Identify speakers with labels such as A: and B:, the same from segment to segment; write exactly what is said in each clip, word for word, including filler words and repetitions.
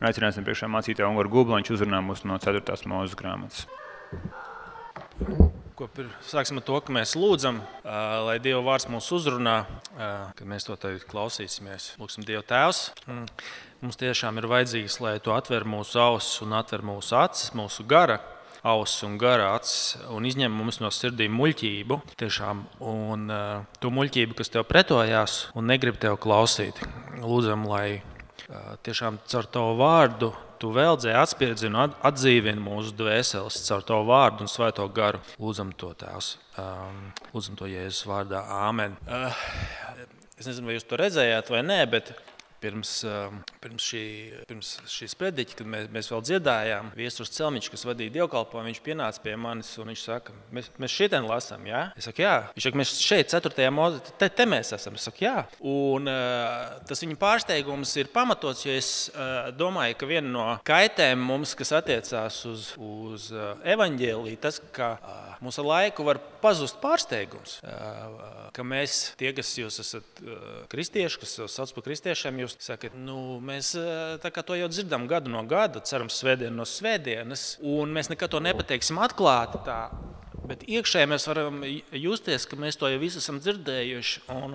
A: Un aicināsim priekšā mācītāju Ungaru Gublu, viņš uzrunā mūs no ceturtās Mūzes grāmatas.
B: Ko pir, sāksim ar to, ka mēs lūdzam, uh, lai Dieva vārds mūs uzrunā, uh, kad mēs to tagad klausīsimies. Lūksim Dievu Tēvs. Mm. Mums tiešām ir vajadzīgs, lai tu atver mūsu ausis un atver mūsu acis, mūsu gara ausis un gara acis un izņem mums no sirdīm muļķību. Tiešām, un uh, to muļķību, kas tev pretojās un negrib tev klausīt. Lūdzam, lai uh, tiešām caur tavu vārdu tu veldzē atspirdzini un atdzīvini mūsu dvēseles caur tavu vārdu un svēto garu. Lūdzam to, Tēvs. Um, lūdzam to Jēzus vārdā. Āmen. Uh, es nezinu, vai jūs to redzējāt vai nē, bet Pirms, pirms, šī, pirms šīs prediķa, kad mēs, mēs vēl dziedājām, Viesturs Celmiņš, kas vadīja dievkalpojumu, viņš pienāca pie manis un viņš saka, mēs, mēs šitien lasām, jā? Es saku, jā. Viņš saka, mēs šeit, ceturtajā Mūzē, te, te mēs esam. Es saku, jā. Un uh, tas viņa pārsteigums ir pamatots, jo es uh, domāju, ka viena no kaitēm mums, kas attiecās uz, uz uh, evaņģēliju, tas, ka uh, mums ar laiku var pazust pārsteigums, uh, ka mēs, tie, kas jūs esat uh, kristieši, kas jūs sauc par kristiešiem, jūs sakat, nu, mēs tā kā to jau dzirdam gadu no gada, cerams svētdienu no svētdienas, un mēs nekad to nepateiksim atklāti tā, bet iekšēji mēs varam justies, ka mēs to jau visu esam dzirdējuši, un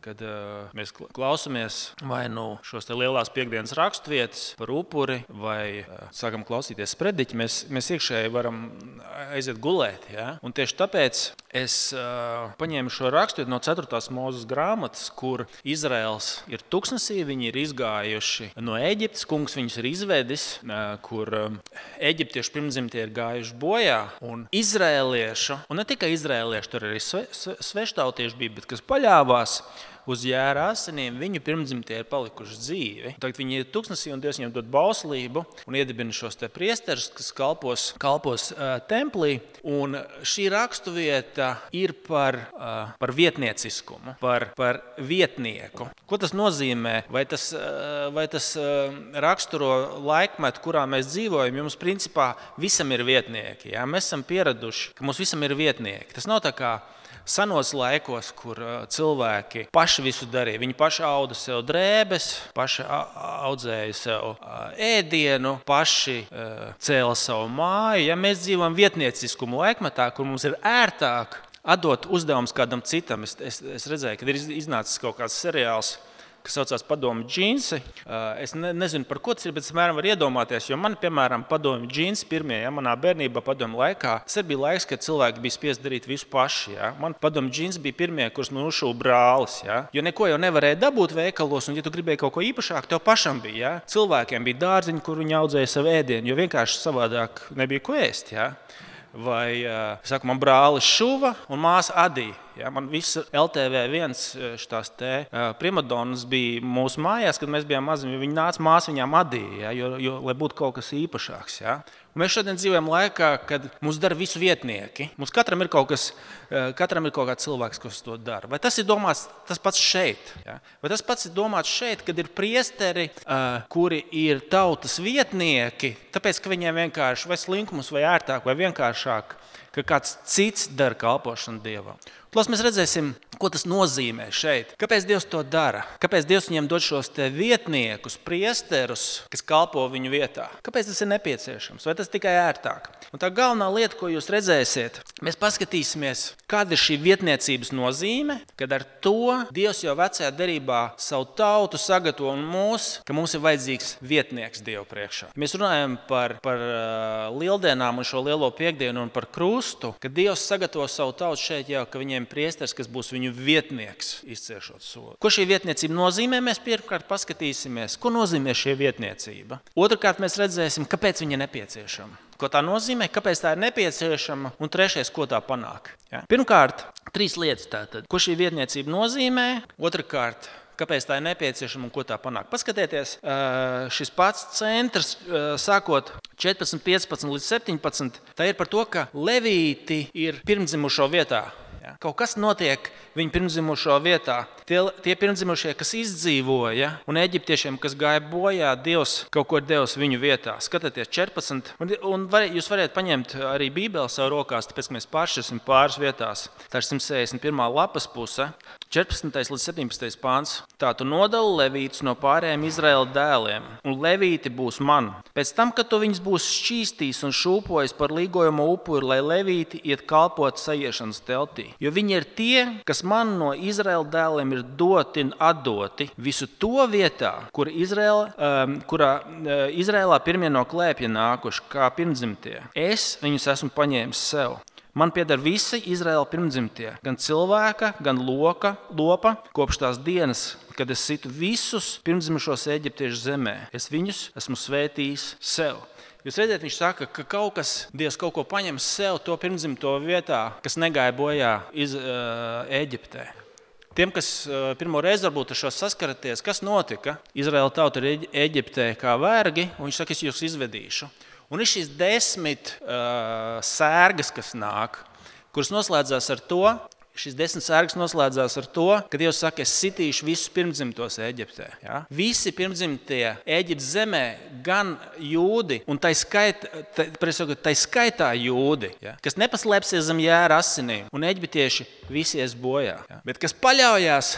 B: kad mēs klausamies vai nu šos te lielās piekdienas raksturvietas par upuri, vai sākam klausīties prediķi, mēs, mēs iekšēji varam aiziet gulēt, ja? Un tieši tāpēc es uh, paņēmu šo raksturu no ceturtās Mūzes grāmatas, kur Izraels ir tuksnesī, viņi ir izgājuši no Ēģiptes, kungs viņus ir izvedis, uh, kur uh, eģiptiešu pirmdzimtie ir gājuši bojā, un izraeliešu, un ne tikai izraeliešu, tur arī sve, sve, sveštautieši bija, bet kas paļāvās uz jēra asinīm, viņu pirmdzimtie ir palikuši dzīvi. Tagad viņi ir tuksnesī un Dievs viņiem dod bauslību un iedibina šos te priesterus, kas kalpos, kalpos uh, templī. Un šī rakstuvieta ir par, uh, par vietnieciskumu, par, par vietnieku. Ko tas nozīmē? Vai tas, uh, vai tas uh, raksturo laikmetu, kurā mēs dzīvojam? Jums principā visam ir vietnieki. Ja? Mēs esam pieraduši, ka mums visam ir vietnieki. Tas nav tā kā senos laikos, kur cilvēki paši visu darīja. Viņi paši auda sev drēbes, paši audzēja sev ēdienu, paši cēla savu māju. Ja mēs dzīvojam vietnieciskumu laikmetā, kur mums ir ērtāk atdot uzdevums kādam citam, es, es, es redzēju, kad ir iznācis kaut kāds seriāls, kas saucās Padomju džinsi. Es ne, nezinu, par ko tas ir, bet es mēram var iedomāties, jo man, piemēram, Padomju džinsi pirmie, ja, manā bērnībā padomju laikā, tas arī bija laiks, kad cilvēki bija spiest darīt visu paši. Ja. Man Padomju džinsi bija pirmie, kurus man uzšuva brālis, ja. Jo neko jau nevarēja dabūt veikalos, un ja tu gribēji kaut ko īpašāk, tev pašam bija. Ja. Cilvēkiem bija dārziņi, kur viņi audzēja savu ēdienu, jo vienkārši savādāk nebija ko ēst. Ja. Vai, saku, man brālis šuva un māsa adīja. Ja, man viss L T V viens šitās te primadonas bija mūsu mājās, kad mēs bijām mazi, viņi nāca, māsa viņām adīja, ja, jo, jo, lai būtu kaut kas īpašāks. Ja. Un mēs šodien dzīvojam laikā, kad mums dara visu vietnieki. Mums katram ir kaut kas, katram ir kaut kāds cilvēks, kas to dara. Vai tas ir domāts tas pats šeit? Ja? Vai tas pats ir domāts šeit, kad ir priesteri, kuri ir tautas vietnieki, tāpēc, ka viņiem vienkārši vai slinkums, vai ērtāk, vai vienkāršāk, ka kāds cits dara kalpošanu Dievam. Plus mēs redzēsim, ko tas nozīmē šeit. Kāpēc Dievs to dara? Kāpēc Dievs viņiem dod šos te vietniekus, priesterus, kas kalpo viņu vietā? Kāpēc tas ir nepieciešams? Vai tas tikai ērtāk? Un tā galvenā lieta, ko jūs redzēsiet, mēs paskatīsimies, kāda ir šī vietniecības nozīme, kad ar to Dievs jau vecajā derībā savu tautu sagatavo un mūs, ka mums ir vajadzīgs vietnieks Dievu priekšā. Mēs runājam par, par uh, lieldienām un šo lielo piekdienu un par krustu, kad Dievs sagatavo savu tautu šeit jau, ka viņiem priesteris, kas būs viņu vietnieks, izciešot sodu. Ko šī vietniecība nozīmē, mēs pirmkārt paskatīsimies, ko nozīmē šī vietniecība. Otrkārt mēs redzēsim, kāpēc viņa ir nepieciešama. Ko tā nozīmē, kāpēc tā ir nepieciešama, un trešais, ko tā panāk. Ja? Pirmkārt, trīs lietas tātad. Ko šī vietniecība nozīmē, otrkārt, kāpēc tā ir nepieciešama un ko tā panāk. Paskatieties, šis pats centrs, sākot četrpadsmit, piecpadsmit līdz septiņpadsmit, tā ir par to, ka levīti ir pirmdzimušo vietā. Ja? Kaut kas notiek viņa pirmdzimušo vietā. tie, tie pirmdzimušie, kas izdzīvoja, un eģiptiešiem, kas gāja bojā, Dievs kaut ko devis viņu vietā. Skatieties, četrpadsmit. Un, un var, jūs varat paņemt arī Bībeli savu rokās, tāpēc, ka mēs pāršķirsim pāris vietās. Tā ir simt sešdesmit pirmā lapas puse, četrpadsmitais līdz septiņpadsmitais pāns. Tā tu nodali levītus no pārējiem Izraēla dēliem, un levīti būs man. Pēc tam, kad tu viņus būs šķīstījis un šūpojis par līgojamo upuri, lai levīti iet kalpot sajiešanas teltī. Jo viņi ir tie, kas man no Izraēla dēliem ir doti un atdoti visu to vietā, kur Izraēla, um, kurā uh, Izraēlā pirmie no klēpja nākuši, kā pirmdzimtie. Es viņus esmu paņēmis sev. Man pieder visi Izraēla pirmdzimtie, gan cilvēka, gan loka, lopa, kopš tās dienas, kad es situ visus pirmdzimušos eģiptiešu zemē. Es viņus esmu svētījis sev. Jūs redzat, viņš saka, ka kaut kas, Dievs kaut ko paņem sev to pirmdzimto vietā, kas negāja bojā iz, uh, Eģiptē. Tiem, kas uh, pirmo reizi varbūt ar šo saskaraties, kas notika? Izraēla tauta ir Eģiptē kā vergi, un viņš saka, es jūs izvedīšu. Un ir šīs desmit uh, sērgas, kas nāk, kuras noslēdzās ar to, šīs desmit sērgas noslēdzās ar to, ka Dievs saka, es sitīšu visus pirmdzimtos Eģiptē. Ja? Visi pirmdzimtie Eģiptes zemē, gan jūdi, un tai, skait, tai, tai skaitā jūdi, ja? Kas nepaslēpsies zem jēra asinīm, un eģiptieši visi ies bojā. Ja? Bet kas paļaujās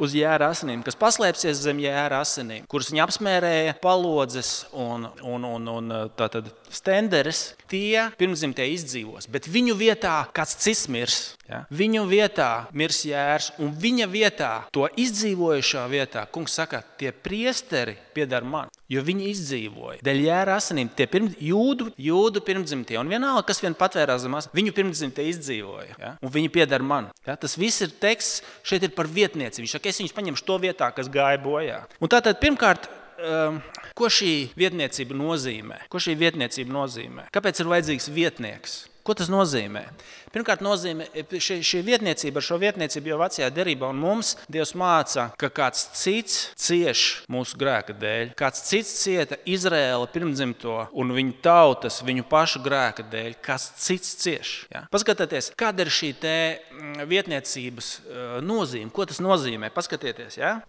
B: uz jēra asinīm, kas paslēpsies zem jēra asinīm, kuras viņi apsmērēja palodzes un, un, un, un tātad stenderes, tie pirmdzimtie izdzīvos. Bet viņu vietā kāds cits mirs. Ja? Viņu vietā mirs jērs, un viņa vietā, to izdzīvojušā vietā, kungs saka, tie priesteri pieder man, jo viņi izdzīvoja. Dēļ jēra asinīm tie pirms, jūdu, jūdu pirmdzimtie, un vienalga, kas vien patvērās zemās, viņu pirmdzimtie izdzīvoja, ja? Un viņi pieder man. Ja? Tas viss ir teksts, šeit ir par vietnieci. Viņš saka, es viņus paņemšu to vietā, kas gāja bojā. Un tātad pirmkārt, um, ko šī vietniecība nozīmē? Ko šī vietniecība nozīmē? Kāpēc ir vajadzīgs vietnieks? Ko tas nozīmē? Pirmkārt, nozīmē, šī, šī vietniecība, ar šo vietniecību jau vecajā derībā, un mums Dievs māca, ka kāds cits cieš mūsu grēka dēļ. Kāds cits cieta Izraēla pirmdzimto un viņu tautas, viņu pašu grēka dēļ. Kāds cits cieš. Ja? Paskatieties, kāda ir šī te vietniecības nozīme. Ko tas nozīmē? Paskatieties, ja?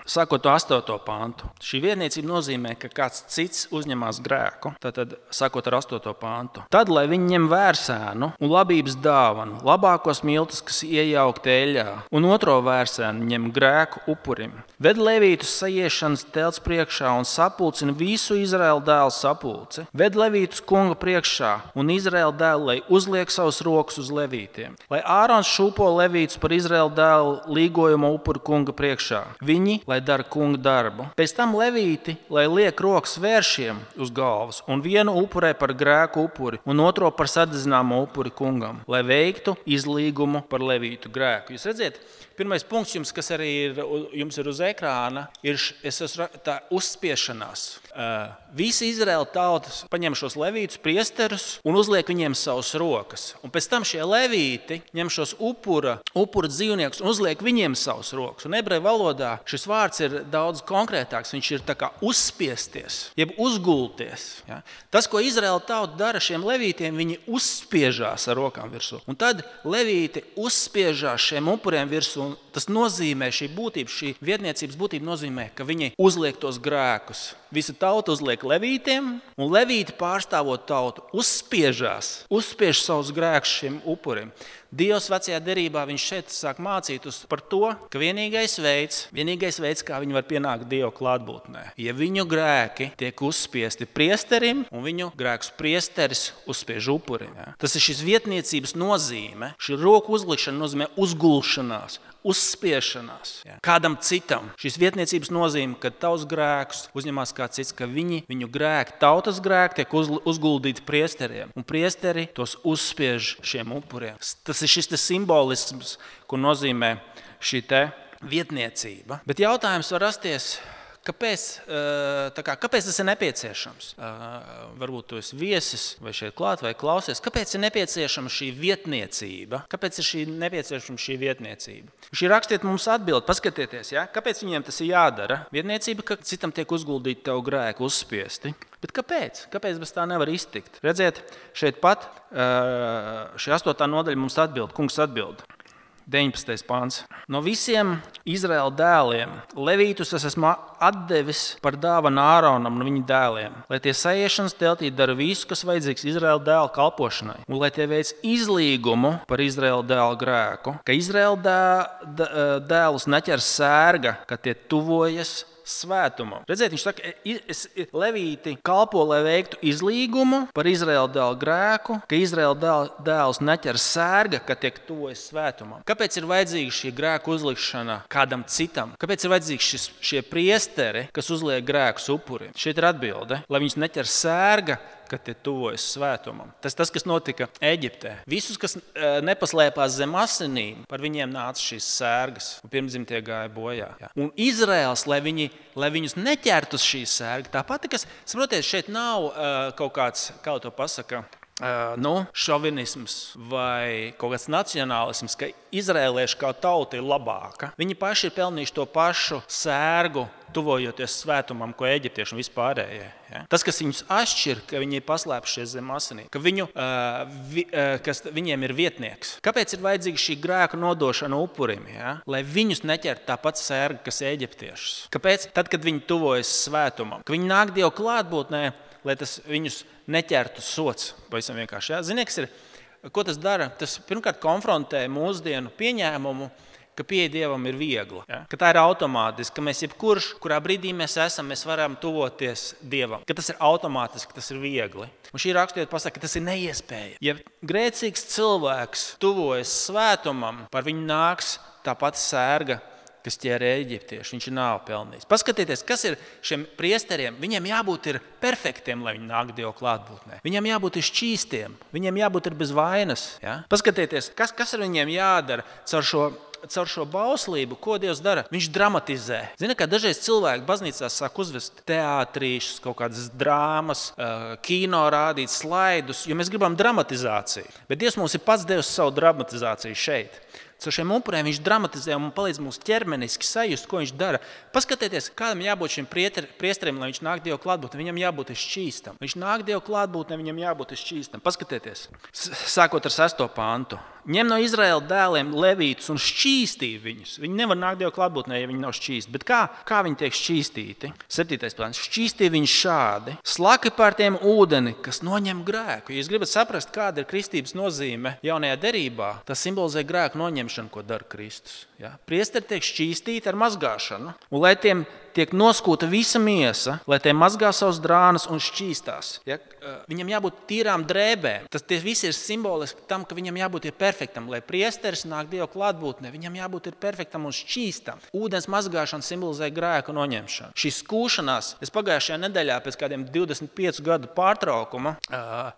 B: Sākot to astoto pantu. Šī vietniecība nozīmē, ka kāds cits uzņemās grēku. Tātad, sākot ar astoto pantu. Tad, lai viņi ņem vērsēnu un labības dāvanu, labākos miltus, kas iejaukti eļļā, un otro vērsēnu ņem grēku upurim. Ved levītus sajiešanas telts priekšā un sapulcina visu Izraēla dēlu sapulci. Ved levītus kunga priekšā un Izraēla dēlu, lai uzliek savus rokas uz levītiem. Lai Ārons šūpo levītus par Izraēla dēlu līgojuma upuru kunga priekšā. Viņi, lai dara kunga darbu. Pēc tam levīti, lai liek rokas vēršiem uz galvas un vienu upurē par grēku upuri un otro par sadedzināmo upuri kungam, lai veiktu izlīgumu par levītu grēku. Jūs redziet, pirmais punkts, jums, kas arī ir, jums ir uz ekrāna, ir es esmu tā uzspiešanās. Uh, visi Izraēla tautas paņem šos levītus, priesterus un uzliek viņiem savus rokas. Un pēc tam šie levīti ņem šos upura, upura dzīvniekus un uzliek viņiem savus rokas. Un ebreju valodā šis vārds ir daudz konkrētāks. Viņš ir tā kā uzspiesties, jeb uzgulties. Ja? Tas, ko Izraēla tauta dara šiem levītiem, viņi uzspiežās ar rokām virsū. Un tad levīti uzspiežās šiem upuriem virsū. Un tas nozīmē, šī būtība, šī vietniecības būtība nozīmē, ka viņi uzliek tos grēkus. Visa tauta uzliek levītiem, un levīti pārstāvot tautu uzspiežās, uzspiež savus grēkus šiem upuriem. Dievs vecajā derībā viņš šeit sāk mācīt uz par to, ka vienīgais veids, vienīgais veids, kā viņi var pienākt Dieva klātbūtnē, ja viņu grēki tiek uzspiesti priesterim, un viņu grēkus priesteris uzspiež upurim. Ja? Tas ir šis vietniecības nozīme, šī roku uzlikšana nozīmē uzgulšanās, uzspiešanās. Ja? Kādam citam. Šīs vietniecības nozīme, ka tavs grēkus uzņemās kāds cits, ka viņi, viņu grēki, tautas grēki tiek uz, uzguldīti priesteriem, un priesteri tos uzspiež šiem upuriem. Tas ir šis simbolisms, ko nozīmē šī te vietniecība. Bet jautājums var rasties, kāpēc, tā kā, kāpēc tas ir nepieciešams? Varbūt tu esi viesis vai šeit klāt vai klausies. Kāpēc ir nepieciešama šī vietniecība? Kāpēc ir šī nepieciešama šī vietniecība? Šī rakstiet mums atbild, paskatieties, ja? Kāpēc viņiem tas ir jādara? Vietniecība, ka citam tiek uzguldīti tev grēku uzspiesti. Bet kāpēc? Kāpēc bez tā nevar iztikt? Redziet, šeit pat šī astotā nodaļa mums atbild, kungs atbild. deviņpadsmitais pants. No visiem Izraēla dēliem levītus es esmu atdevis par dāvanu Āronam un viņa dēliem, lai tie saiešanas teltī dara visu, kas vajadzīgs Izraēla dēla kalpošanai, un lai tie veic izlīgumu par Izraēla dēla grēku, ka Izraēla dē, dēlus neķer sērga, ka tie tuvojas svētumam. Redziet, viņš saka, es, levīti kalpo, lai veiktu izlīgumu par Izraēla dēla grēku, ka Izraēla dēls neķer sērga, ka tiek tuvojas svētumam. Kāpēc ir vajadzīga šī grēku uzlikšana kādam citam? Kāpēc ir vajadzīgi šis, šie priesteri, kas uzliek grēkus upuriem? Šeit ir atbilde, lai viņus neķer sērga, ka tie tuvojas svētumam. Tas tas, kas notika Eģiptē. Visus, kas nepaslēpās zem asinīm, par viņiem nāca šīs sērgas, un pirmdzimtie gāja bojā. Jā. Un Izraēls, lai, viņi, lai viņus neķertu uz šīs sērgas, tāpat, kas, saprotiet, šeit nav uh, kaut kāds, kā to pasaka, Uh, nu, šovinisms vai kaut kāds nacionālisms, ka izrēlieši kā tauta ir labāka. Viņi paši ir pelnījuši to pašu sērgu, tuvojoties svētumam, ko eģiptieši un vispārējie. Ja? Tas, kas viņus atšķir, ka viņi ir paslēpušies zem asinīm, ka viņu, uh, vi, uh, kas viņiem ir vietnieks. Kāpēc ir vajadzīga šī grēka nodošana upurim? Ja? Lai viņus neķertu tāpat sērga, kas eģiptiešus. Kāpēc? Tad, kad viņi tuvojas svētumam, ka viņi nāk Dievu klātbūtnē, lai tas viņus neķertu sots. Pavisam vienkārši. Ja? Ziniet, kas ir, ko tas dara? Tas pirmkārt konfrontē mūsdienu pieņēmumu, ka pieeja Dievam ir viegla. Ja? Ka tā ir automātiski, ka mēs jebkurš, kurā brīdī mēs esam, mēs varam tuvoties Dievam. Ka tas ir automātiski, tas ir viegli. Un šī rakstiet pasaka, ka tas ir neiespējami. Ja grēcīgs cilvēks tuvojas svētumam, par viņu nāks tāpat sērga, kas ķēra eģiptieši. Viņš ir nāvi pelnījis. Paskatieties, kas ir šiem priesteriem. Viņiem jābūt ir perfektiem, lai viņi nāk Dievu klātbūtnē. Viņiem jābūt ir šķīstiem. Viņiem jābūt ir bez vainas. Ja? Paskatieties, kas, kas ar viņiem jādara caur šo, caur šo bauslību, ko Dievs dara. Viņš dramatizē. Zini, kā dažreiz cilvēki baznīcās sāk uzvest teātrīšus, kaut kādas drāmas, kino rādīt, slaidus, jo mēs gribam dramatizāciju. Bet Dievs mums ir pats devis savu dramatizāciju šeit. Ar šiem upuriem viņš dramatizē un palīdz mums ķermeniski sajust, ko viņš dara. Paskatieties, kādam jābūt šim priesteriem, lai viņš nāk Dievu klātbūtnē, viņam jābūt šķīstam. Viņš nāk Dievu klātbūtnē, viņam jābūt šķīstam. Paskatieties, sākot ar sesto pantu. Ņem no Izraēla dēliem levītus un šķīstī viņus. Viņi nevar nākt Dievu klātbūtnē, ja viņi nav šķīsti. Bet kā, kā viņi tiek šķīstīti? Septītais plāns. Šķīstī viņus šādi. Slaki pār tiem ūdeni, kas noņem grēku. Ja jūs gribat saprast, kāda ir kristības nozīme jaunajā derībā, tas simbolizē grēku noņemšanu, ko dara Kristus. Ja? Priesteri tiek šķīstīti ar mazgāšanu. Un lai tiem tiek noskūta visa miesa, lai tie mazgā savus drānas un šķīstās. Ja? Viņam jābūt tīrām drēbēm. Tas viss ir simboliski tam, ka viņam jābūt ir perfektam. Lai priesteris nāk Dievu klātbūtnē, viņam jābūt ir perfektam un šķīstam. Ūdens mazgāšana simbolizē grēku noņemšanu. Šī skūšanās, es pagājušajā nedēļā pēc kādiem divdesmit piecu gadu pārtraukuma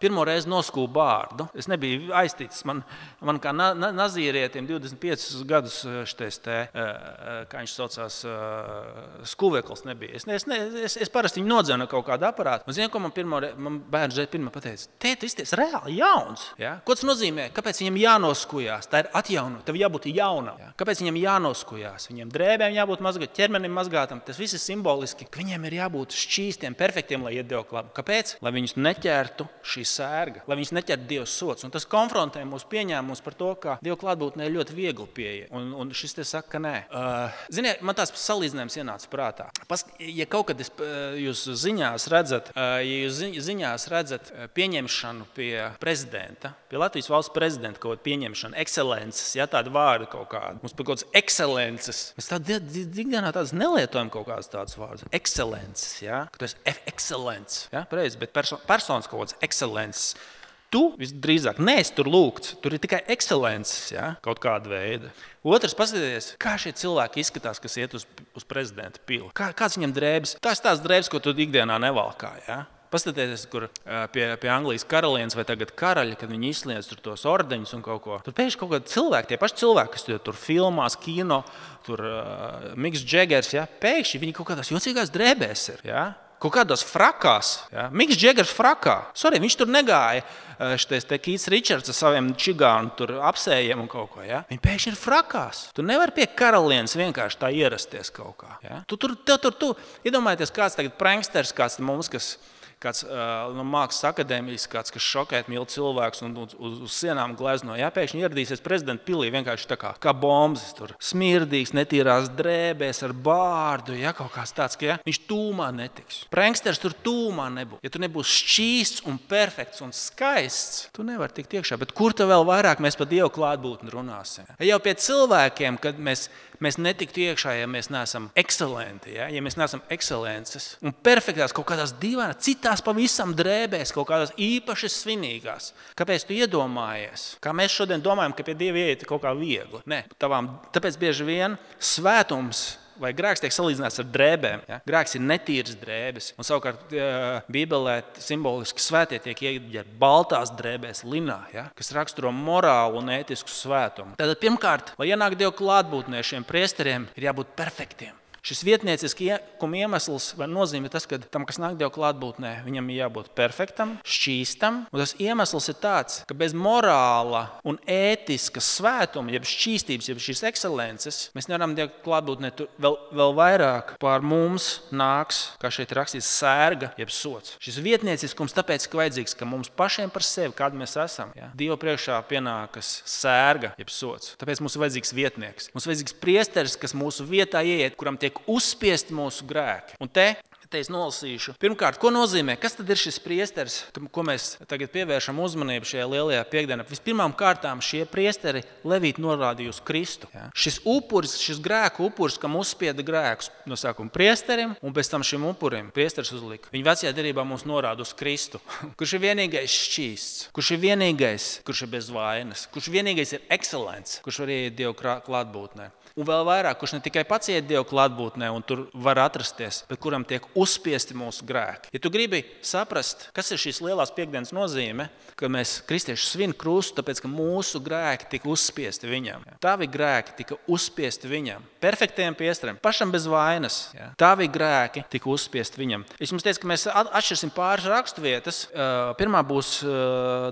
B: pirmo reizi noskūju bārdu. Es nebiju aizticis. Man, man kā na, na, nazīrietim divdesmit piecus gadus šitais te, kā viņš saucās, skuvekls nebija. Es, es, es, es parasti viņu nodzēnu kaut kādu aparātu. Un zinu, ko man, pirmo, man bērns reiz pirmā pateica? Tēt, tu izties reāli jauns. Ja? Ko tas nozīmē? Kāpēc viņam jānoskujās? Tā ir atjaunot. Tev jābūt jaunam. Ja? Kāpēc viņam jānoskujās? Viņam drēbēm jābūt mazgāt, ķermenim mazgātam. Tas viss ir simboliski, ka viņiem ir jābūt šķīstiem, perfektiem, lai iet Dievu klātbūtnē. Kāpēc? Lai viņus neķertu šī sērga, lai viņus neķertu Dieva sots. Un tas konfrontē mūsu pieņēmumus par to, ka Dievu klātbūtnē ir ļoti viegli pieeja. Un, un šis te saka, ka nē. Uh, ziniet, man tās salīdzinājums ienāca prātā. Pas, ja kaut kad es, jūs ziņās redzat, uh, ja jūs ziņās redzat pieņemšanu pie prezidenta, pie Latvijas valsts prezidenta kaut kāda pieņemšana, ekscelences, ja tāda vārda kaut kāda. Mums par kaut kādas ekscelences. Mēs tādā ikdienā tādas nelietojam kaut kādas tādas vārdas. Ekscelences, ja? Ka tu esi ekscelents, ja? Pareizi, bet perso- personas kaut kādas ekscelences. Tu visdrīzāk neesi tur lūgts, tur ir tikai ekscelences, ja? Kaut kāda veida. Otrs, paskatieties, kā šie cilvēki izskatās, kas iet uz, uz prezidenta pili. Kā, kāds viņam drēbes? Tās tās drēbes, ko tu ikdienā nevalkā, ja? Paskatieties, kur pie, pie Anglijas karalienes vai tagad karaļa, kad viņi izsniedz tur tos ordeņus un kaut ko. Tur pēkšņi kaut kādi cilvēki, tie paši cilvēki, kas tur filmās, kino, tur uh, Miks Džegers, ja? Pēkšņi viņi kaut kādās jocīgās drēbēs ir, ja? Kaut kādos frakās. Ja? Miks Džegers frakā. Sorry, viņš tur negāja šitais te Keits Richards ar saviem čigānu tur apsējiem un kaut ko. Ja? Viņi pēkšņi ir frakās. Tu nevari pie karalienes vienkārši tā ierasties kaut kā. Ja? Tu tur, tu, tur, tu. Iedomājieties, kāds tagad pranksters, kāds mums, kas kāds uh, no mākslas akadēmijas, kāds, kas šokēt mīl cilvēkus un uz, uz, uz sienām glezno. Ja? Pēkšņi ieradīsies prezidenta pilī vienkārši tā kā, kā bombas. Tur smirdīgs, netīrās drēbēs ar bārdu, ja? Kaut kāds tāds, ka ja? Viņš tūmā netiks. Pranksters tur tūmā nebūs. Ja tu nebūs šķīsts un perfekts un skaists, tu nevari tikt iekšā. Bet kur tu vēl vairāk mēs par Dievu klātbūtni runāsim? Ja jau pie cilvēkiem, kad mēs Mēs netiktu iekšā, ja mēs neesam ekscelenti, ja, ja mēs neesam ekscelences un perfektās kaut kādās dīvainās, citās pavisam drēbēs, kaut kādās īpaši svinīgās. Kāpēc tu iedomājies? Kā mēs šodien domājam, ka pie Dieva ieiet kaut kā viegli? Nē, tavām, tāpēc bieži vien svētums vai grēks tiek salīdzināts ar drēbēm. Ja? Grēks ir netīras drēbes. Un savukārt Bībelē simboliski svētie tiek ieģērbti baltās drēbēs, linā, ja? Kas raksturo morālu un ētisku svētumu. Tātad pirmkārt, lai ienāk Dieva klātbūtnē, šiem priesteriem ir jābūt perfektiem. Šis vietnieciskuma iemesls vai nozīme tas, ka tam, kas nāk Dieva klātbūtnē, viņam ir jābūt perfektam, šķīstam. Un tas iemesls ir tāds, ka bez morāla un ētiska svētuma, jeb šķīstības, jeb šīs ekscelences, mēs nevaram Dieva klātbūtnē vēl, vēl vairāk pār mums nāks, kā šeit rakstīts, sērga, jeb sots. Šis vietnieciskums tāpēc, ka vajadzīgs, ka mums pašiem par sevi, kādi mēs esam, ja? Dieva priekšā pienākas sērga, jeb sots. Tāpēc mums ir vajadzīgs vietnieks. Mums ir vajadzīgs priesteris, kas mūsu vietā ieiet, kuram tiek uzspiest mūsu grēki. Un te, te es nolasīšu. Pirmkārt, ko nozīmē? Kas tad ir šis priesteris, ko mēs tagad pievēršam uzmanību šajā lielajā piekdienā? Vispirmām kārtām šie priesteri levīti norādīja uz Kristu. Ja? Šis upuris, šis grēku upuris, kam uzspieda grēkus no sākuma priesterim un pēc tam šim upurim priesteris uzlika. Viņa vecajā derībā mums norāda uz Kristu, kurš ir vienīgais šķīsts, kurš ir vienīgais, kurš ir bez vainas, kurš vienīgais ir ekscelents, kurš var ieiet Dieva klātbūtnē. Un vēl vairāk, kurš ne tikai pats iet Dieva klātbūtnē un tur var atrasties, bet kuram tiek uzspiesti mūsu grēki. Ja tu gribi saprast, kas ir šīs lielās piekdienas nozīme, ka mēs kristieši svin krustu, tāpēc, ka mūsu grēki tika uzspiesti viņam. Tavi grēki tika uzspiesti viņam. Perfektiem priesterim, pašam bez vainas. Ja? Tavi grēki tika uzspiesti viņam. Es jums teicu, ka mēs atšķirsim pāris raksturvietas. Pirmā būs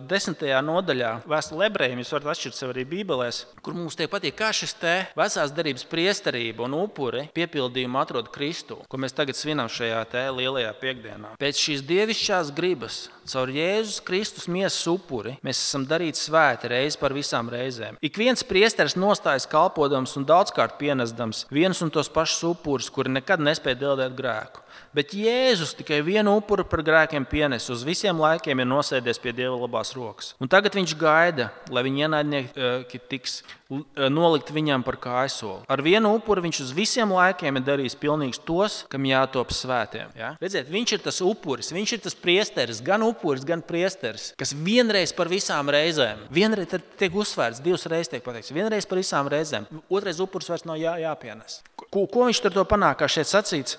B: desmitajā nodaļā vēstule ebrejiem, jūs varat atšķirt sev arī bībelēs, kur mums tiek patīk, kā šis te vecās derības priesterība un upuri piepildījumu atrod Kristu, ko mēs tagad svinam šajā te lielajā piekdienā. Pēc šīs dievišķās gribas, caur Jēzus Kristus miesas upuri, mēs esam darīti svēti reizi par visām reizēm. Ik viens priesteris nostājas kalpodams un daudzkārt pienesdams vienus un tos pašus upurus, kuri nekad nespēja deldēt grēku. Bet Jēzus tikai vienu upuru par grēkiem pienes, uz visiem laikiem ir nosēdies pie Dieva labās rokas. Un tagad viņš gaida, lai viņa ienaidnieki tiks nolikt viņam par kājsoli. Ar vienu upuru viņš uz visiem laikiem ir darījis pilnīgs tos, kam jātop svētiem. Ja? Redziet, viņš ir tas upuris, viņš ir tas priesteris, gan upuris, gan priesteris, kas vienreiz par visām reizēm, vienreiz tiek uzsvērts, divas reizes tiek pateikts, vienreiz par visām reizēm, otrais upuris vairs nav jā, jāpienes. Ko, ko viņš tur to panāk, kā šeit sacīts?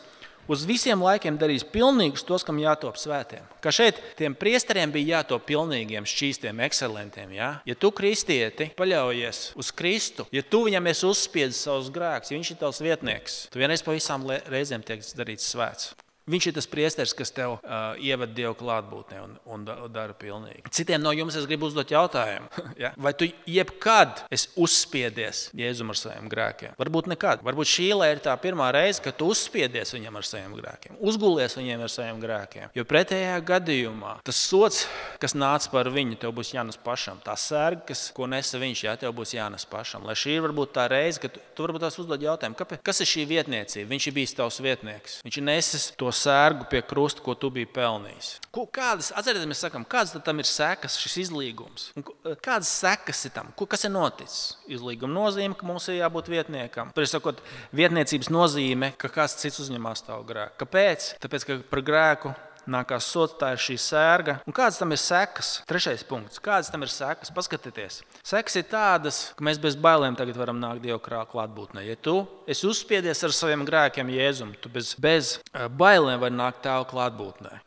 B: Uz visiem laikiem darīs pilnīgus tos, kam jātop svētiem. Kā šeit tiem priesteriem bija jātop pilnīgiem, šķīstiem, ekscelentiem. Ja, ja tu kristieti paļaujies uz Kristu, ja tu viņam esi uzspiedis savus grēkus, ja viņš ir tavs vietnieks, tu vienreiz pa visām reizēm tiek darīts svēts. Viņš ir tas priesteris, kas tev uh, ieved Dieva klātbūtnē un, un dara pilnīgi. Citiem no jums es gribu uzdot jautājumu. Ja? Vai tu jebkad esi uzspiedies Jēzum ar saviem grēkiem? Varbūt nekad. Varbūt šī ir tā pirmā reize, kad tu uzspiedies viņam ar saviem grēkiem. Uzgulies viņiem ar saviem grēkiem. Jo pretējā gadījumā tas sots, kas nāca par viņu, tev būs jānes pašam. Tā sērga, kas, ko nesa viņš, jā, tev būs jānes pašam. Lai šī ir varbūt tā reize, kad tu, tu varbūt tās uzdod jautājumu, kāpēc, kas ir šī vietniecība? Viņš ir bijis tavs vietnieks. Viņš ir nesis to sērgu pie krusta, ko tu biji pelnījis. Ko, kādas, atcerieties, mēs sakam, kādas tam ir sekas, šis izlīgums? Un kādas sekas ir tam? Ko, kas ir noticis? Izlīguma nozīme, ka mums ir jābūt vietniekam. Tur ir sakot, vietniecības nozīme, ka kāds cits uzņemās tavu grēku. Kāpēc? Tāpēc, ka par grēku nākās sots, tā ir šī sērga. Un kādas tam ir sekas? Trešais punkts. Kādas tam ir sekas? Paskatieties. Sekas ir tādas, ka mēs bez bailēm tagad varam nākt Dieva klātbūtnē. Ja tu esi uzspiedies ar saviem grēkiem Jēzum, tu bez, bez bailēm vari nākt Tēva klātbūtnē.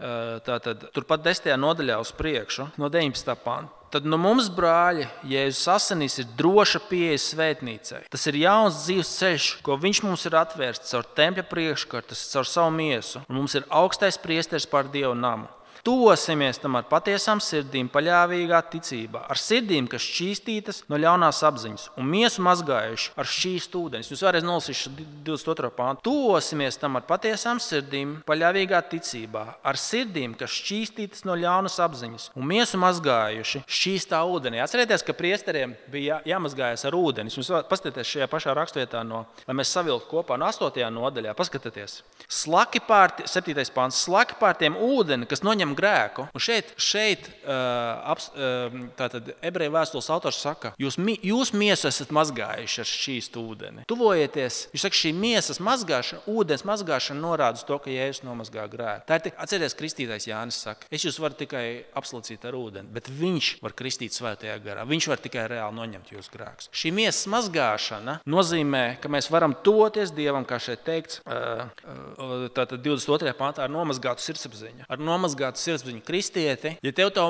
B: Tātad turpat desmitajā nodaļā uz priekšu, no deviņpadsmitā panta. Tad no mums, brāļi, Jēzus asinīs ir droša pieeja svētnīcai. Tas ir jauns dzīves ceļš, ko viņš mums ir atvērts caur tempļa priekškaru, tas caur savu miesu. Un mums ir augstais priesteris pār Dievu namu. Tuvosimies tam ar patiesām sirdīm, paļāvīgā ticībā, ar sirdīm, kas šķīstītas no ļaunās apziņas un miesu mazgājuši ar šķīstu ūdeni. Jūs vēlreiz nolasīšu divdesmit otro pāntu. Tuvosimies tam ar patiesām sirdīm, paļāvīgā ticībā, ar sirdīm, kas šķīstītas no ļaunas apziņas un miesu mazgājuši šķīstā ūdenī. Atcerieties, ka priesteriem bija jā, jāmazgājas ar ūdeni. Jūs paskatieties šajā pašā rakstvietā, no, lai mēs savilktu kopā no astotajā nodaļā. Paskatieties. Slaki pār, septītais pāns, slaki pār tiem ūdeni, kas noņem grēku. Un šeit, šeit uh, aps, uh, tātad ebreju vēstules autors saka, jūs, jūs miesu esat mazgājuši ar šķīstu ūdeni. Tuvojieties, viņš saka, šī miesas mazgāšana, ūdens mazgāšana norāda uz to, ka Jēzus nomazgā grēku. Tā ir tik, atcerieties, kristītais Jānis saka, es jūs varu tikai apslacīt ar ūdeni, bet viņš var kristīt svētajā garā. Viņš var tikai reāli noņemt jūsu grēkus. Šī miesas mazgāšana nozīmē, ka mēs varam tuvoties Dievam, kā šeit teikts, uh, uh, tātad divdesmit otrajā pāntā ar nomazgātu sirdsapziņu. Ar nomazgātu sirdsapziņu kristieti, ja tev tā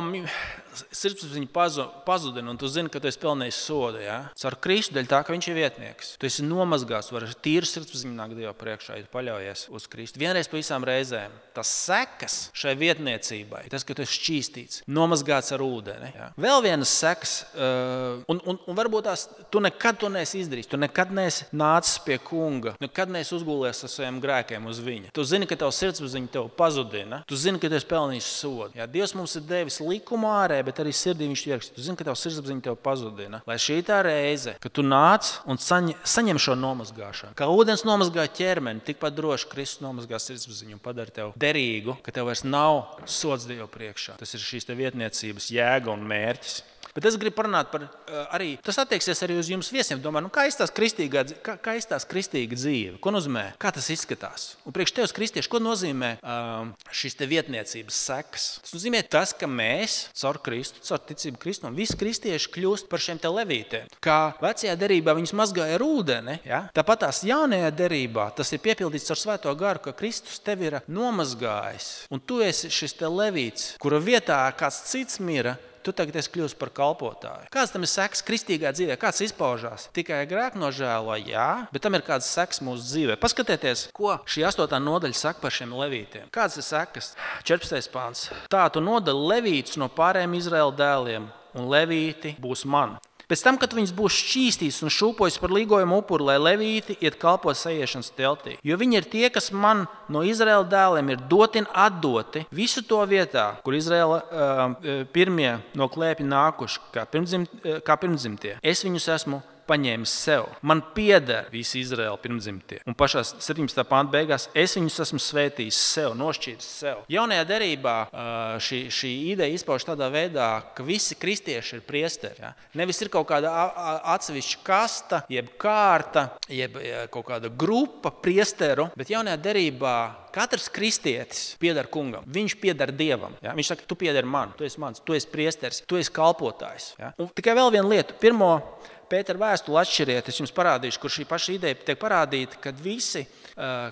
B: sirdsapziņa pazudina un tu zini, ka tu esi pelnījis sodu, ja? Caur Kristu dēļ tā, ka viņš ir vietnieks. Tu esi nomazgāts, var ar tīru sirdsapziņu nākt Dieva priekšā, ja tu paļaujies uz Kristu. Vienreiz pa visām reizēm. Tas sekas šai vietniecībai, tas, ka tu esi šķīstīts, nomazgāts ar ūdeni. Ja? Vēl vienas sekas, uh, un, un, un varbūt tās, tu nekad to neesi izdarījis, tu nekad neesi nācis pie kunga, nekad neesi uzgulējies ar saviem grēkiem uz viņa. Tu zini, ka tev sirdsapziņa tev pazudina, tu zini, ka tu esi pelnījis sodu. Ja? Dievs mums ir devis likumu ārē, bet arī sirdī viņš ieraksta. Tu zini, ka tev sirdsapziņa tev pazudina. Lai šī tā reize, ka tu nāc un saņem, saņem šo nomazgāšanu. Kā ūdens nomazgā ķermeni, tikpat droši Kristus nomazgā sirdsapziņu un padara tev derīgu, ka tev vairs nav sods Dievu priekšā. Tas ir šīs te vietniecības jēga un mērķis. Bet es gribu parunāt par uh, arī, tas attieksies arī uz jums viesiem. Domāju, nu, kā izstās kristīga, kā, kā izstās kristīga dzīve? Ko nozīmē? Kā tas izskatās? Un priekš tevis kristieši, ko nozīmē uh, šīs te vietniecības sekas? Tas nozīmē tas, ka mēs caur Kristu, caur ticību Kristum, visi kristieši kļūst par šiem te levītiem. Kā vecajā derībā viņus mazgāja ar ūdeni, ja? Tāpat tās jaunajā derībā tas ir piepildīts ar Svēto garu, ka Kristus tevi ir nomazgājis. Un tu esi šis te levīts, kura vietā kāds cits mira, tu tagad esi kļūst par kalpotāju. Kāds tam ir seks kristīgā dzīvē? Kāds izpaužās? Tikai grēku nožēlo, jā, bet tam ir kāds seks mūsu dzīvē. Paskatieties, ko šī astotā nodaļa saka par šiem levītiem. Kāds ir sekas? četrpadsmitais pāns. Tā tu nodali levītus no pārējiem Izraēla dēliem, un levīti būs man. Pēc tam, kad viņas būs šķīstītas un šūpojas par līgojumu upuru, lai levīti iet kalpot sajiešanas teltī. Jo viņi ir tie, kas man no Izraēla dēliem ir doti un atdoti visu to vietā, kur Izraēla uh, pirmie no klēpja nākuši, kā, pirmdzimt, uh, kā pirmdzimtie. Es viņus esmu paņēmis sev. Man pieder visi Izraēla pirmdzimtie. Un pašā septiņpadsmitā pānta beigās es viņus esmu svētījis sev, nošķīris sev. Jaunajā derībā šī, šī ideja izpauž tādā veidā, ka visi kristieši ir priesteri. Ja? Nevis ir kaut kāda atsevišķa kasta, jeb kārta, jeb kaut kāda grupa priesteru, bet jaunajā derībā katrs kristietis pieder kungam. Viņš pieder Dievam. Ja? Viņš saka, tu pieder man, tu esi mans, tu esi priesteris, tu esi kalpotājs. Ja? Un tikai vēl viena lieta. Pirmo Pētera vēstuli atšķiriet, es jums parādīšu, kur šī paša ideja tiek parādīta, kad visi,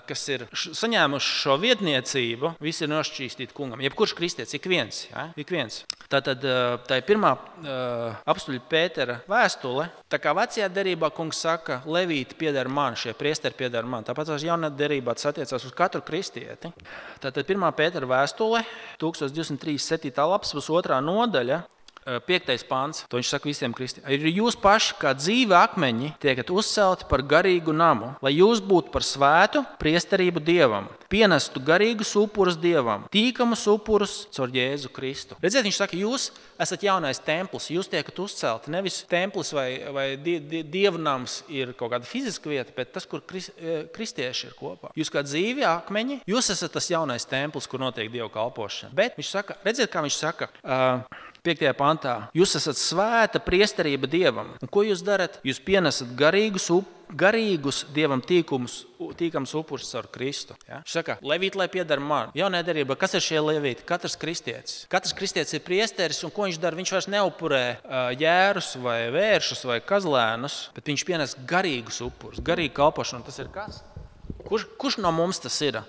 B: kas ir saņēmuši šo vietniecību, visi ir nošķīstīti kungam. Jebkurš kristietis, ik viens. Ja? Ik viens. Tātad tā ir pirmā apstuļa Pētera vēstule. Tā kā vecajā derībā kungs saka, levīti pieder man, šie priesteri pieder man. Tāpēc jaunā derībā tas attiecās uz katru kristieti. Tātad pirmā Pētera vēstule, tūkstoš divsimt trīsdesmit septītā lapas, otrā nodaļa. Piektais pāns, to viņš saka visiem kristiešiem. Ir jūs paši, kā dzīvi akmeņi, tiekat uzcelti par garīgu namu, lai jūs būtu par svētu priesterību Dievam, pienestu garīgus upurus Dievam, tīkamus upurus caur Jēzu Kristu. Redziet, viņš saka, jūs esat jaunais templis, jūs tiekat uzcelti. Nevis templis vai, vai die, die, dievnams ir kaut kāda fiziska vieta, bet tas, kur kris, kristieši ir kopā. Jūs kā dzīvi akmeņi, jūs esat tas jaunais templis, kur notiek Dievu kalpošana. Bet viņš saka, redziet, kā viņš saka, uh, piektajā pantā, jūs esat svēta priesterība Dievam. Un ko jūs darat? Jūs pienesat garīgus, up, garīgus Dievam tīkumus, tīkams upurus caur Kristu. Ja? Viņš saka, levīti, lai pieder man. Jaunajā derībā, kas ir šie levīti? Katrs kristietis. Katrs kristietis ir priesteris, un ko viņš dara? Viņš vairs neupurē uh, jērus vai vēršus vai kazlēnus, bet viņš pienes garīgus upurus, garīgu kalpošanu. Tas ir kas? Kurš, kurš no mums tas ir?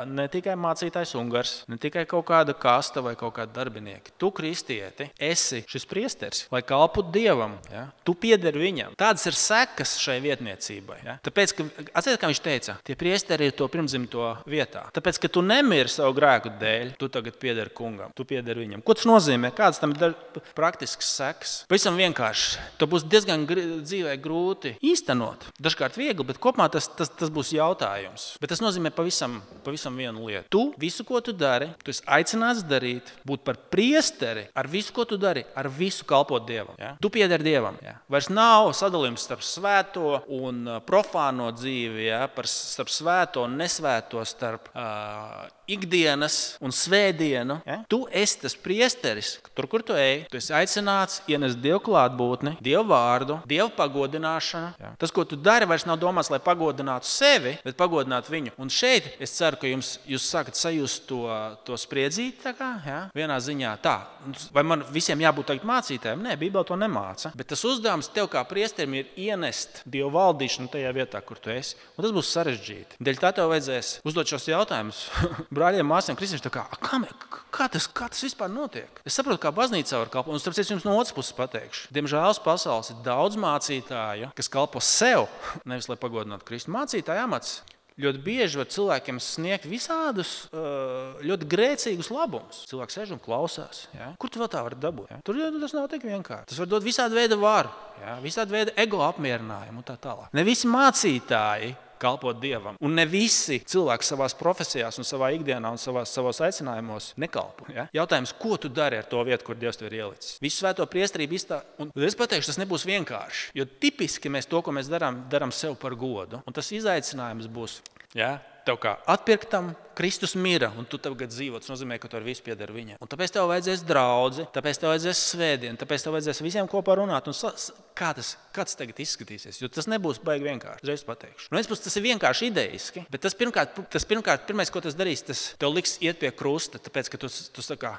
B: ne tikai mācītājs ungars, ne tikai kaut kāda kasta vai kaut kāda darbinieki. Tu, kristieti, esi šis priesteris, lai kalpotu Dievam. Ja? Tu piederi viņam. Tādas ir sekas šai vietniecībai. Ja? Tāpēc, ka, atceries, kā viņš teica, tie priesteri ir to pirmdzimto vietā. Tāpēc, ka tu nemiri savu grēku dēļ, tu tagad piederi kungam, tu piederi viņam. Ko tas nozīmē? Kāds tam ir praktisks sekas? Pavisam vienkārši. To būs diezgan dzīvē grūti īstenot. Dažkārt viegli, bet kopumā tas, tas, tas būs jautājums. Bet tas nozīmē pavisam, pavisam vienu lietu. Tu visu, ko tu dari, tu esi aicināts darīt, būt par priesteri ar visu, ko tu dari, ar visu kalpot Dievam. Ja? Tu piederi Dievam. Ja? Vairs nav sadalījums starp svēto un profāno dzīvi, ja? Par, starp svēto un nesvēto, starp uh, ikdienas un svētdienu. Ja? Tu esi tas priesteris, tur, kur tu ej, tu esi aicināts ienest Dievu klātbūtni, Dievu vārdu, Dievu pagodināšanu. Ja? Tas, ko tu dari, vairs nav domāts, lai pagodinātu sevi, bet pagodinātu viņu. Un šeit es ceru, ka jums, jūs sākat sajust to, to spriedzīti, tā kā, ja? Vienā ziņā tā. Vai man visiem jābūt tagad mācītājiem? Nē, Bībele to nemāca. Bet tas uzdevums tev kā priesterim ir ienest Dievu valdīšanu tajā vietā, kur tu esi. Un tas būs sarežģīti. Dēļ tā tev vajadzēs uzdot šos jautājumus brāļiem, māsiem, kristieši, tā kā, kā, kā, tas, kā tas vispār notiek? Es saprotu, kā baznīcā var kalpot. Un starp citu jums no otras puses pateikšu. Diemžēl pasaules ir daudz mācītāju, kas kalpo sev, nevis lai pagodinātu Kristu. Mācītāja amats ļoti bieži var cilvēkiem sniegt visādus ļoti grēcīgus labumus. Cilvēks sēž un klausās. Ja? Kur tu vēl tā vari dabūt? Ja? Tur tas nav tik vienkārši. Tas var dot visādu veidu varu, ja? Visādu veidu ego apmierinājumu un tā tālāk. Ne visi mācītāji kalpot Dievam. Un ne visi cilvēki savās profesijās un savā ikdienā un savās, savos aicinājumos nekalpo. Ja? Jautājums, ko tu dari ar to vietu, kur Dievs tev ir ielicis? Visu svēto priesterību izstā... Un es pateikšu, tas nebūs vienkārši. Jo tipiski mēs to, ko mēs darām, darām sev par godu. Un tas izaicinājums būs, ja? Tev kā atpirktam, Kristus mira, un tu tagad dzīvo. Tas nozīmē, ka tu ar visu piedari viņam. Un tāpēc tev vajadzēs draudzi, tāpēc tev vajadzēs svētdienu, tāpēc tev vajadzēs visiem kopā runāt. Un sa, kā, tas, kā tas tagad izskatīsies? Jo tas nebūs baigi vienkārši. Uzreiz pateikšu. Nu, tas ir vienkārši idejiski, bet tas pirmkārt, tas pirmkārt, pirmais, ko tas darīs, tas tev liks iet pie krusta, tāpēc, ka tu, tu sakā,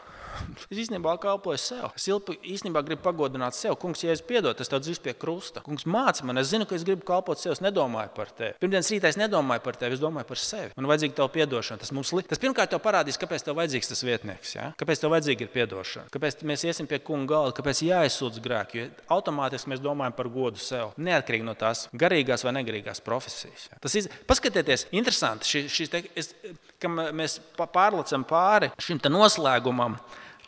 B: es īstenībā kalpoju sev. Es īstenībā gribu pagodināt sev. Kungs, ja es piedod, tas tev dzīs pie krusta. Kungs māca man, es zinu, ka es gribu kalpot sev, es nedomāju par tevi. Pirmdienas rītā es nedomāju par tevi, es domāju par sevi. Man vajadzīga tev piedošana. Tas, mums li... tas pirmkārt tev parādīs, kāpēc tev vajadzīgs tas vietnieks. Ja? Kāpēc tev vajadzīga ir piedošana. Kāpēc mēs iesim pie kunga galda, kāpēc jāizsūdz grēki. Jo automātiski mēs domājam par godu sev. Neatkarīgi no tās garīgās vai negarīgās profesijas. Ja? Tas iz... Paskatieties, interesanti, šī, šī te, es, ka mēs pārlecam pāri šim te noslēgumam.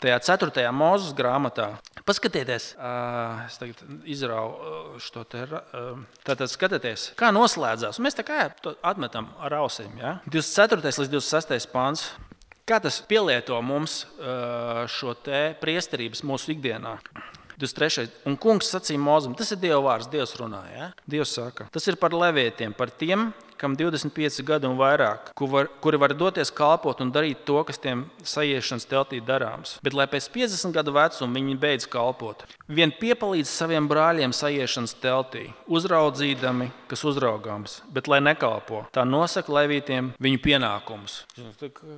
B: Tajā ceturtajā Mūzes grāmatā. Paskatieties, uh, es tagad izrauju šo te, uh, tātad skatieties, kā noslēdzās. Un mēs tā kā atmetam ar ausīm, ja? divdesmit ceturtais līdz divdesmit sestais pants. Kā tas pielieto mums uh, šo te priesterības mūsu ikdienā? divdesmit trešais Un kungs sacīja Mūzem, tas ir Dieva vārds, Dievs runā, ja? Dievs saka, tas ir par levietiem, par tiem, kam divdesmit pieci gadi un vairāk, kuri var doties kalpot un darīt to, kas tiem sajiešanas teltī darāms. Bet, lai pēc piecdesmit gadu vecuma viņi beidz kalpot, vien piepalīdz saviem brāļiem sajiešanas teltī, uzraudzīdami, kas uzraugāms, bet lai nekalpo. Tā nosaka levītiem viņu pienākumus.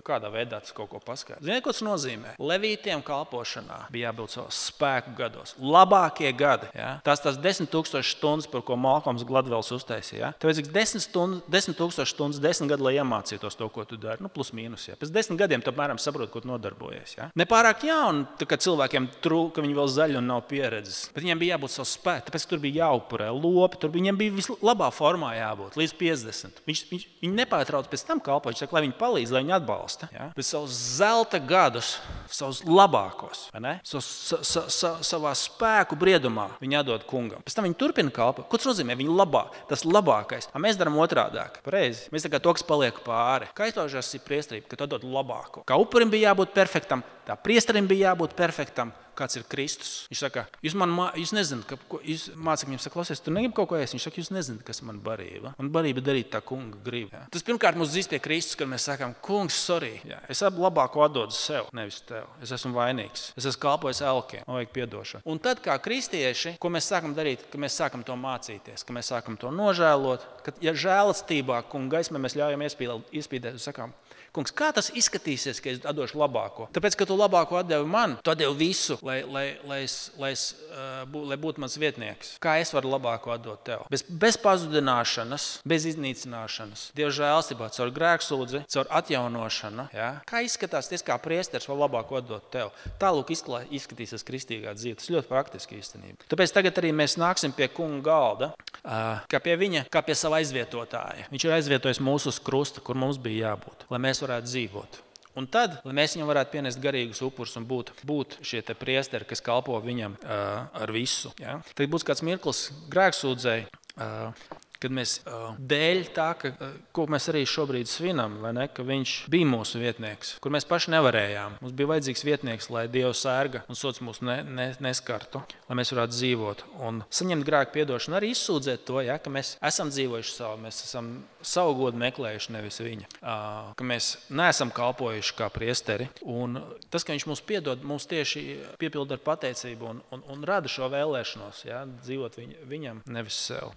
B: Kādā veidā tas kaut ko paskaidro? Ziniet, ko tas nozīmē? Levītiem kalpošanā bija jābūt savos spēku gados. Labākie gadi. Ja? Tās tās desmit tūkstoši stundas, par ko Malkoms Gladvels uztaisīja. Ja? Tev vajadzīgs desmit stundas, desmit tūkstoši stundas, desmit gadi, lai iemācītos to, ko tu dari. Nu, plus mīnus. Ja. Pēc desmit gadiem tu apmēram saproti, ko tu nodarbojies. Ja. Nepārāk jauni, kad cilvēkiem trūk, ka viņi vēl zaļi un nav pieredzes. Bet viņiem bija jābūt savu spēku, tāpēc, ka tur bija jāupurē lopi, tur viņiem bija vislabā formā jābūt, līdz piecdesmit. Viņš, viņš, viņi nepārtrauc pēc tam kalpo, viņš saka, lai viņi palīdz, lai viņi atbalsta. Ja. Bet savus zelta gadus, savus labākos, savus, sa, sa, sa, savā spēku briedumā viņi atdod kungam. Pēc tam viņi turpina kalpot. Ko tas nozīmē? Viņi labā, tas labākais. A mēs darām otrādi. Pareizi. Mēs tā kā to, kas paliek pāri. Kā izpaužās ir priesterība, ka tu dod labāko. Kā upurim bija jābūt perfektam, tā priesterim bija jābūt perfektam. Kāds ir Kristus? Viņš saka, jūs man mā, jūs nezināt, ka, ko, jūs mācekļiem saka, klausies, tu negribi kaut ko ēst. Viņš saka, jūs nezināt, kas man barība. Man barība darīt tā kunga gribu. Ja. Tas pirmkārt mums dzīs pie Kristus, kad mēs sakām, kungs, sorry. Ja. Es labāko atdodu sev, nevis tev. Es esmu vainīgs. Es esmu kalpojis elkiem. Man vajag piedošanu. Un tad kā kristieši, ko mēs sākam darīt, ka mēs sākam to mācīties, ka mēs sākam to nožēlot, ka ja žēlastībā kunga gaismē mēs ļaujam iespīdēt un sakām, Kungs, kā tas izskatīsies, ka es atdošu labāko? Tāpēc, ka tu labāko atdevi man, tu atdevi visu, lai, lai, lai, es, lai, es, uh, bū, lai būtu mans vietnieks. Kā es varu labāko atdot tev? Bez, bez pazudināšanas, bez iznīcināšanas. Dieva žēlstībā, caur grēksūdzi, caur atjaunošanu. Ja? Kā izskatās tas, kā priesteris var labāko atdot tev? Tālūk izskatīsies kristīgā dzīve. Tas ļoti praktiski īstenībā. Tāpēc tagad arī mēs nāksim pie kunga galda, uh, kā pie viņa, kā pie sava aizvietotāja. Viņš ir aizvietojis mūsu uz krusta, kur mums bija jābūt, lai mēs varētu dzīvot. Un tad, lai mēs viņam varētu pienest garīgus upurus un būt, būt šie te priesteri, kas kalpo viņam uh, ar visu. Ja? Tad būs kāds mirklis grēksūdzēji, uh, kad mēs uh, dēļ tā, ka, uh, ko mēs arī šobrīd svinam, vai ne, ka viņš bija mūsu vietnieks, kur mēs paši nevarējām. Mums bija vajadzīgs vietnieks, lai Dievs sērga un sots mūs ne, ne, neskartu, lai mēs varētu dzīvot. Un saņemt grēku piedošanu, arī izsūdzēt to, ja, ka mēs esam dzīvojuši savu, mēs esam savu godu meklējuši, nevis viņa. Uh, ka mēs neesam kalpojuši kā priesteri. Un tas, ka viņš mums piedod, mums tieši piepilda ar pateicību un, un, un rada šo vēlēšanos, ja, dzīvot viņ, viņam, nevis sev.